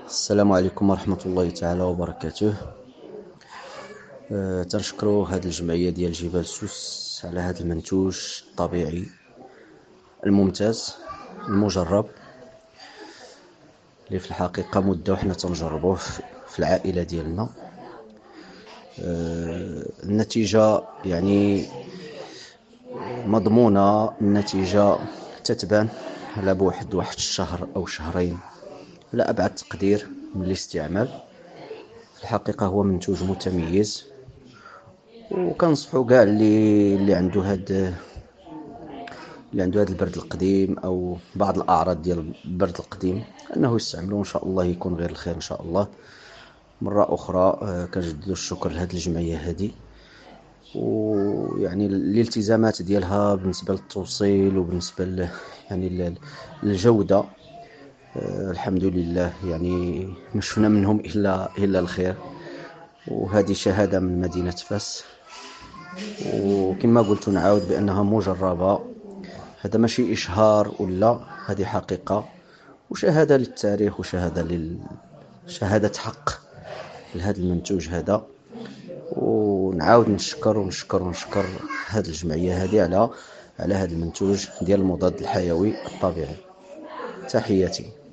السلام عليكم ورحمة الله تعالى وبركاته. تنشكروا هذه الجمعية ديال جبال سوس على هذا المنتوج الطبيعي الممتاز المجرب، اللي في الحقيقة مدة وحنا تنجربوه في العائلة ديالنا. النتيجة يعني مضمونة، النتيجة تتبان على بواحد واحد الشهر أو شهرين لا أبعد تقدير من الاستعمال. في الحقيقة هو منتوج متميز، وكنصحو كاع اللي عنده هاد اللي عنده هاد البرد القديم او بعض الاعراض ديال البرد القديم انه يستعملو، ان شاء الله يكون غير الخير ان شاء الله. مرة اخرى كنجددوا الشكر لهاد الجمعية هذه، ويعني الالتزامات ديالها بالنسبة للتوصيل وبالنسبة يعني للجودة. الحمد لله، يعني ما شفنا منهم الا الخير، وهذه شهادة من مدينة فاس. وكما قلت نعاود بانها مجربه، هذا ماشي اشهار ولا، هذه حقيقة وشهادة للتاريخ وشهادة شهادة حق لهذا المنتوج هذا. ونعاود نشكر ونشكر ونشكر هذه الجمعية هذه على هذا المنتوج ديال المضاد الحيوي الطبيعي. تحياتي.